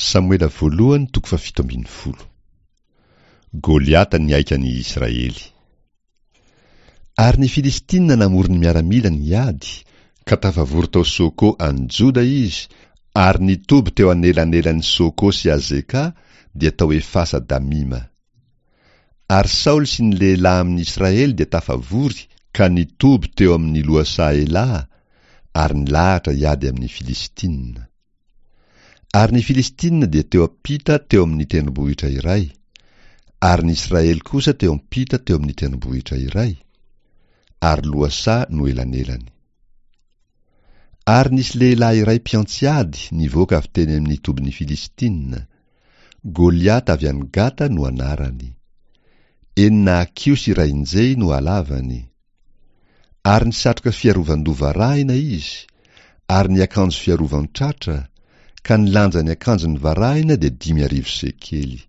Samoela voalohany toko fahafito ambin'ny folo. Goliata nihaika ny Israely. Ary ny Filistina namory ny miaramilany hiady, ka tafavory tao Soko any Joda izy, ary nitoby teo anelanelan'i Soko sy Azeka, dia tao Efasa Damima. Ary Saoly sy ny lehilahy amin'ny Israely dia tafavory ka nitoby teo amin'ny lohasaha Elaha, ary nilahatra hiady amin'ny Filistina. Ary ny Filistina dia teo am-pita teo amin'ny tendrombohitra iray, ary ny Israely kosa teo am-pita teo amin'ny tendrombohitra iray, ary lohasaha no elanelany. Ary nisy lehilahy iray mpiantsy ady nivoaka avy teny amin'ny tobin'ny Filistina, Goliata avy any Gata no anarany. Enina hakiho sy iray injehy no halavany. Ary nisatroka fiarovan-doha varahina izy, ary niakanjo fiarovan-tratra, ka ny lanjan'ny akanjony varahina dia 5000 sekely.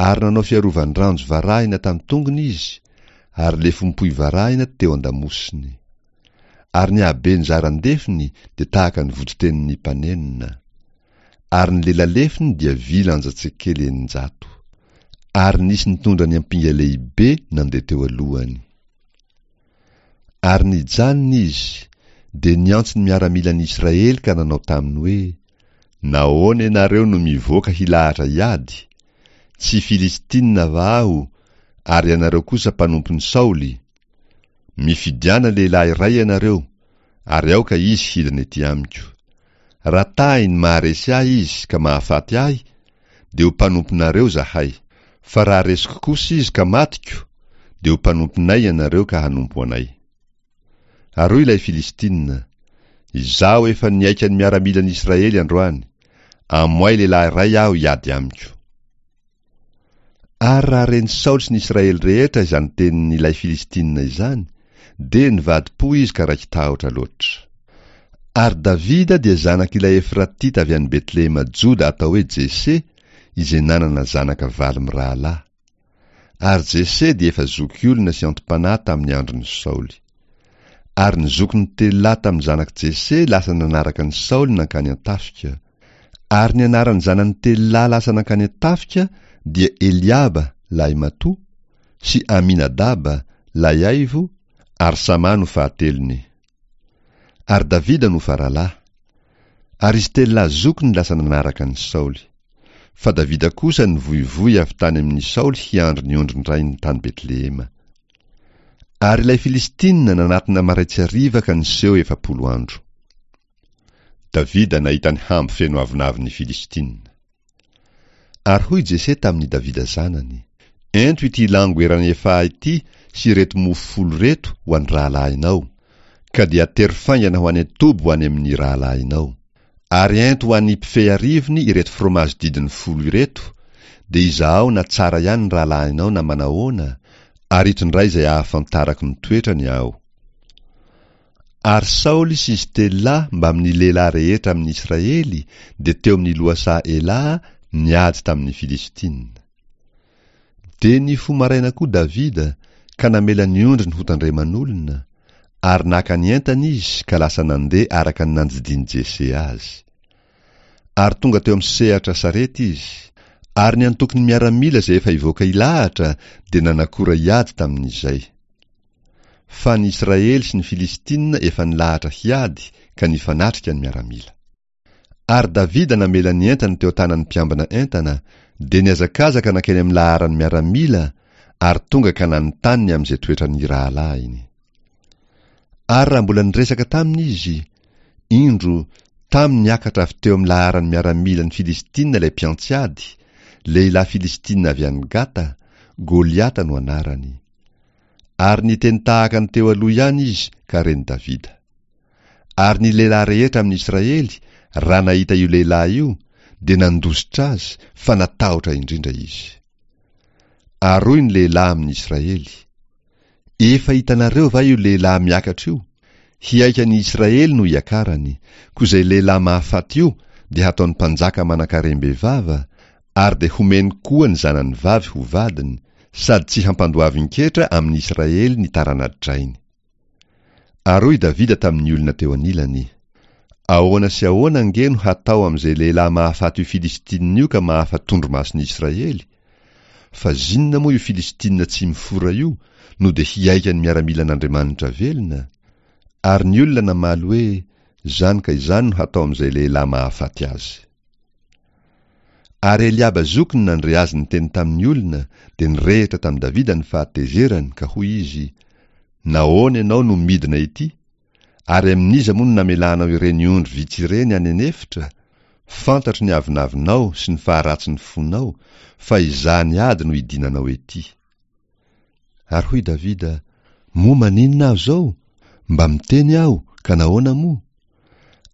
Ary nanao fiarovan-dranjo varahina tamin'ny tongony izy, ary lefom-pohy varahina teo an-damosiny. Ary ny haben'ny zaran-defony dia tahaka ny voditenin'ny mpanenona. Ary ny lelalefony dia vy lanja-tsekely 600. Ary nisy nitondra ny ampinga lehibe nandeha teo alohany. Ary nijanona izy, dia niantso ny miaramilan'ny Israely ka nanao taminy hoe, Nahoana ianareo no mivoaka hilahatra hiady? Tsy Filistina va aho, ary ianareo kosa mpanompon'i Saoly? Mifidiana lehilahy iray ianareo, ary aoka izy hidina ety amiko. Raha tahiny maharesy ahy izy ka mahafaty ahy, dia ho mpanomponareo izahay. Fa raha resiko kosa izy ka matiko, dia ho mpanomponay ianareo ka hanompo anay. Ary hoy ilay Filistina, Izaho efa nihaika ny miaramilan'Israely androany, amoay lehilahy iray aho hiady amiko. Ary raha ren'i Saoly sy ny Israely rehetra izany tenin'ilay Filistina izany, dia nivadi-po izy ka raiki-tahotra loatra. Ary Davida dia zanak'ilay Efratita avy any Betlehema Joda atao hoe Jese, izay nanana zanaka valo mirahalahy. Ary Jese dia efa zokiolona sy anti-panahy tamin'ny andron'i Saoly. Ary ny zokiny telo lahy tamin'ny zanak'i Jese lasa nanaraka an'i Saoly nankany an-tafika. Ary ny anaran'ny zanany telo lahy lasa nankany an-tafika dia Eliaba, lahimatoa, sy Aminadaba, lahiaivo, ary Sama no fahatelony. Ary Davida no faralahy. Ary izy telo lahy zokiny lasa nanaraka an'i Saoly. Fa Davida kosa nivoivoy avy tany amin'i Saoly hiandry ny ondrin-drainy tany Betlehema. Ary ilay Filistina nanatona maraitsy hariva ka niseho 40 andro. Davida nahita ny hambo feno avonavon'ny Filistina. Ary hoy Jese tamin'i Davida zanany, Ento ity lango eran'ny efaha ity sy ireto mofo folo ireto ho an'ny rahalahinao, ka dia atero faingana ho any an-toby ho any amin'ny rahalahinao. Ary ento ho an'ny mpifehy arivony ireto fromazy didiny folo ireto, dia izahao na tsara ihany ny rahalahinao na manahoana, ary itondray izay ahafantarako ny toetrany aho. Ary Saoly sy izy telo lahy mbamin'ny lehilahy rehetra amin'ny Israely dia teo amin'ny lohasaha Elaha niady tamin'ny Filistina. Dia nifoha maraina koa Davida ka namela ny ondriny hotandreman'olona, ary naka ny entany izy ka lasa nandeha araka ny nandidian'i Jese azy. Ary tonga teo amin'ny sehatra sarety izy, ary ny antokon'ny miaramila izay efa hivoaka hilahatra dia nanakora hiady tamin'izay. Fa ny Israely sy ny Filistina efa nilahatra hiady ka nifanatrika ny miaramila. Ary Davida namela ny entany teo an-tanan'ny mpiambina entana, dia nihazakazaka nankeny amin'ny laharan'ny miaramila ary tonga ka nanontany ny amin'izay toetran'ny rahalahiny. Ary raha mbola niresaka taminy izy, indro, tamy niakatra avy teo amin'ny laharan'ny miaramilan'ny Filistina ilay mpiantsy ady, lehilahy Filistina avy any Gata, Goliata no anarany. Ary niteny tahaka ny teo aloha ihany izy ka ren'i Davida. Ary ny lehilahy rehetra amin'ny Israely, raha nahita io lehilahy io, dia nandositra azy, fa natahotra indrindra izy. Ary hoy ny lehilahy amin'ny Israely, Efa hitanareo va io lehilahy miakatra io? Hihaika ny Israely no hiakarany, koa izay lehilahy mahafaty io dia hataony mpanjaka manan-karem-bevava, ary dia homeny koa ny zanany vavy ho vadiny, sady tsy hampandoavin-ketra amin'ny Israely ny tarana-drainy. Ary hoy Davida tamin'ny olona teo anilany, Ahoana sy ahoana ange no hatao amin'izay lehilahy mahafaty io Filistinina io ka mahafa-tondromason'i Israely? Fa zinona moa io Filistinina tsy mifora io no dia hihaika ny miaramilan'Andriamanitra velona? Ary ny olona namaly hoe, Izany ka izany no hatao amin'izay lehilahy mahafaty azy. Ary Eliaba zokiny nandre azy niteny tamin'ny olona, dia nirehitra tamin'i Davida ny fahatezerany, ka hoy izy, Nahoana ianao no midina ety? Ary amin'iza moa no namelanao ireny ondry vitsy ireny any an'efitra? Fantatro ny avonavonao sy ny faharatsin'ny fonao, fa hizaha ny ady no idinanao ety. Ary hoy Davida, Moa maninona aho izao? Mba miteny aho, ka nahoana moa?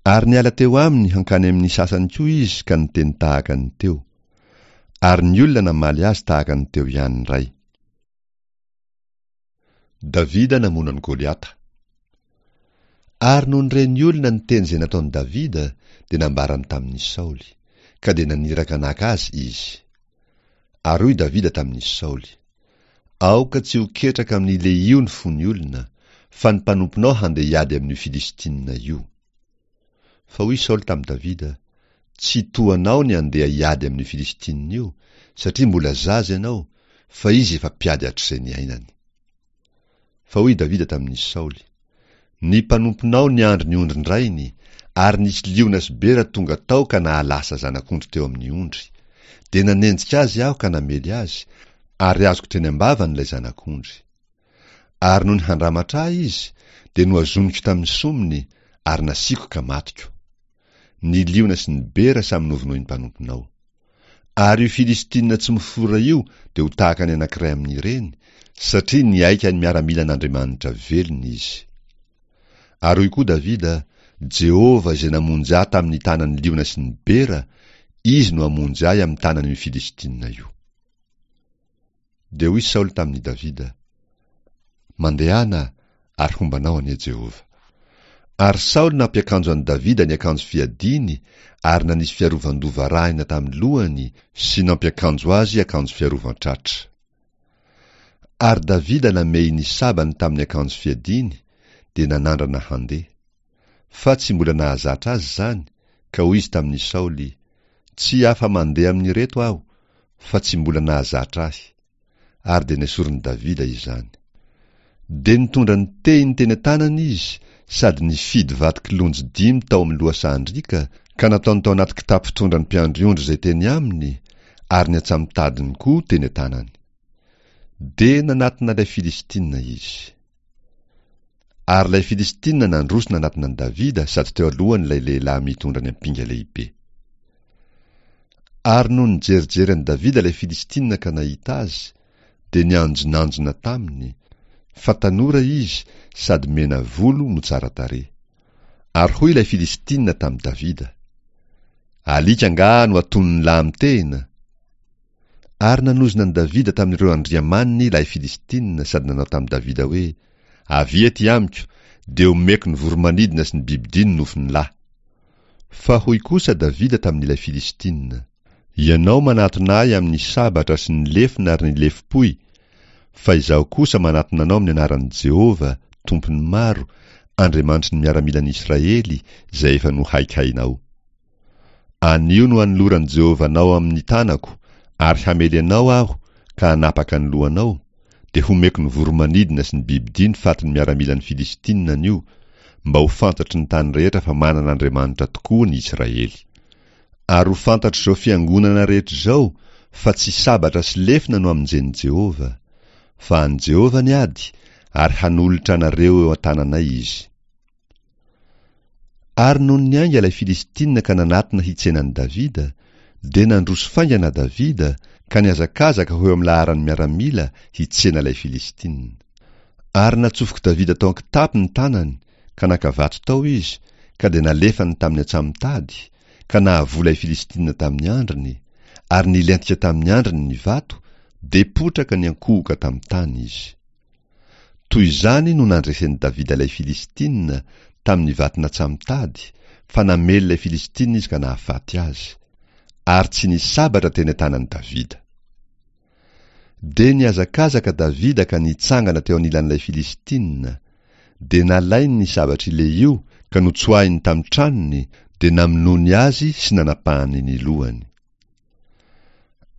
Ary niala teo aminy hankany amin'ny sasany koa izy ka niteny tahaka ny teo. Ary ny olona namaly azy tahaka ny teo ihany indray. Davida namono an'i Goliata. Ary nony ren'ny olona ny teny izay nataon'i Davida, dia nambarany tamin'i Saoly, ka dia naniraka naka azy izy. Ary hoy Davida tamin'i Saoly, Aoka tsy ho ketraka amin'ny lehio ny fon'ny olona, fa ny mpanomponao handeha hiady amin'io Filistina io. Fa hoy Saoly tamin'i Davida, Tsy toa anao ny handeha hiady amin'io Filistina io, satria mbola zaza ianao, fa izy efa mpiady hatrizay niainany. Fa hoy Davida tamin'i Saoly, Ny mpanomponao niandry ny ondrin-drainy, ary nisy liona sy bera tonga tao ka nahalasa zanak'ondry teo amin'ny ondry. Dia nanenjika azy aho ka namely azy, ary azoko teny am-bavany ilay zanak'ondry. Ary nony handramatra ahy izy, dia nohazoniko tamin'ny somony, ary nasiako ka matiko. Ny liona sy ny bera samy novonoin'ny mpanomponao. Ary io Filistina tsy mifora io dia ho tahaka ny anankiray amin'ireny, satria nihaika ny miaramilan'Andriamanitra velona izy. Ary hoy koa Davida, Jehovah izay namonjy ahy tamin'ny tanan'ny liona sy ny bera, Izy no hamonjy ahy amin'ny tanan'io Filistina io. Dia hoy Saoly tamin'i Davida, Mandehana, ary homba anao anie Jehovah. Ary Saoly nampiakanjo an'i Davida ny akanjo fiadiany ary nanisy fiarovan-doha varahina tamin'ny lohany sy nampiakanjo azy akanjo fiarovan-tratra. Ary Davida namehy ny sabany tamin'ny akanjo fiadiany, dia nanandrana handeha. Fa tsy mbola nahazatra azy izany, ka hoy izy tamin'i Saoly, Tsy afa-mandeha amin'ireto aho, fa tsy mbola nahazatra ahy. Ary dia nesorin'i Davida izany. Dia nitondra ny tehiny teny an-tanany izy sady nifidy vato kilonjy dimy tao amin'ny lohasahan-driaka ka nataony tao anaty kitapo fitondran'ny mpiandry ondry izay teny aminy, ary ny antsamotadiny koa teny an-tanany. Dia nanatona ilay Filistina izy. Ary ilay Filistina nandroso nanatona an'i Davida sady teo alohany ilay lehilahy mitondra ny ampinga lehibe. Ary nony nijerijery an'i Davida ilay Filistina ka nahita azy, dia nianjonanjona taminy, fa tanora izy sady mena volo no tsara tarehy. Ary hoy ilay Filistina tamin'i Davida, Alika angaha no atonin'ny lahy mitehina? Ary nanozona an'i Davida tamin'ireo andriamaniny ilay Filistina sady nanao tamin'i Davida hoe, Avia ety amiko, dia homeko ny voro-manidina sy ny bibidia ny nofon'ny lahy. Fa hoy kosa Davida tamin'ilay Filistina, Ianao manatona ahy amin'ny sabatra sy ny lefona ary ny lefom-pohy, fa izaho kosa manatona anao amin'ny anaran'i Jehovah, Tompon'ny maro, Andriamanitry ny miaramilan'i Israely, izay efa nohaikainao. Anio no hanoloran'i Jehovah anao amin'ny tanako, ary hamely anao aho ka hanapaka ny lohanao, dia homeko ny voro-manidina sy ny bibidia ny fatin'ny miaramilan'ny Filistinina anio, mba ho fantatry ny tany rehetra fa manana Andriamanitra tokoa ny Israely. Ary ho fantatr'izao fiangonana rehetra izao fa tsy sabatra sy lefona no hamonjen'i Jehovah, fa an'i Jehovah ny ady, ary hanolotra anareo eo an-tananay izy. Ary nony niainga ilay Filistina ka nanatona hitsena an'i Davida, dia nandroso faingana Davida ka nihazakazaka ho eo amin'ny laharan'ny miaramila hitsena ilay Filistina. Ary natsofok'i Davida tao an-kitapo ny tanany ka naka vato tao izy ka dia nalefany tamin'ny antsamotady ka nahavoa ilay Filistina tamin'ny andriny, ary nilentika tamin'ny andriny ny vato, dia potraka niankohoka tamin'ny tany izy. Toy izany no nandresen'i Davida ilay Filistina tamin'ny vato natsamitady, fa namely ilay Filistina izy ka nahafaty azy. Ary tsy nisy sabatra teny an-tanan'i Davida. Dia nihazakazaka Davida ka nitsangana teo anilan'ilay Filistina. Dia nalainy ny sabatr'i Lehio ka notsoahiny tamin'ny tranony, dia namonoany azy sy nanapahany ny lohany.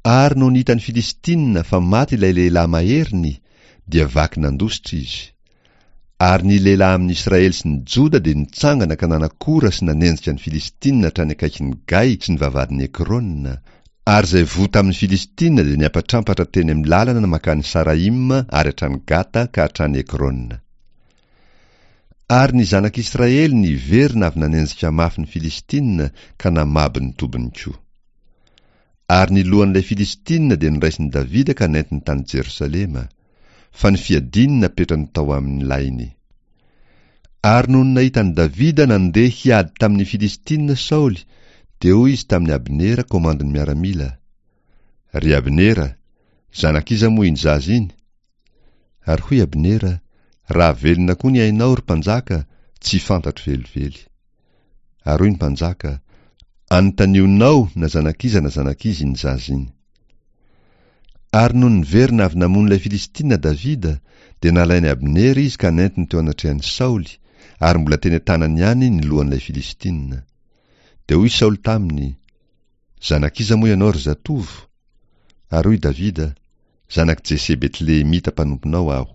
Ary nony hitan'ny Filistina fa maty ilay lehilahy maheriny, dia vaky nandositra izy. Ary ny lehilahy amin'i Israely sy ny Joda dia nitsangana ka nanakora sy nanenjika ny Filistina hatrany akaikin'i Gay sy ny vavahadin'i Ekrona, ary izay voa tamin'ny Filistina dia niampatrampatra teny amin'ny lalana mankany Saraima ary hatrany Gata ka hatrany Ekrona. Ary ny zanak'Israely niverina avy nanenjika mafy ny Filistina ka namabo ny tobiny koa. Ary ny lohan'ilay Filistina dia noraisin'i Davida ka nentiny tany Jerosalema, fa ny fiadiany napetrany tao amin'ny lainy. Ary nony nahita an'i Davida nandeha hiady tamin'ny Filistina Saoly, dia hoy izy tamin'i Abnera komandin'ny miaramila, Ry Abnera, zanak'iza moa iny zaza iny? Ary hoy Abnera, Raha velona koa ny ainao, ry mpanjaka, tsy fantatro velively. Ary hoy ny mpanjaka, Anontanionao na zanak'iza na zanak'iza iny zaza iny. Ary nony niverina avy namono ilay Filistina Davida, dia nalain'i Abnera izy ka nentiny teo anatrehan'i Saoly, ary mbola teny an-tanany ihany ny lohan'ilay Filistina. Dia hoy Saoly taminy, Zanak'iza moa ianao, ry zatovo? Ary hoy Davida, Zanak'i Jese Betlehemita mpanomponao aho.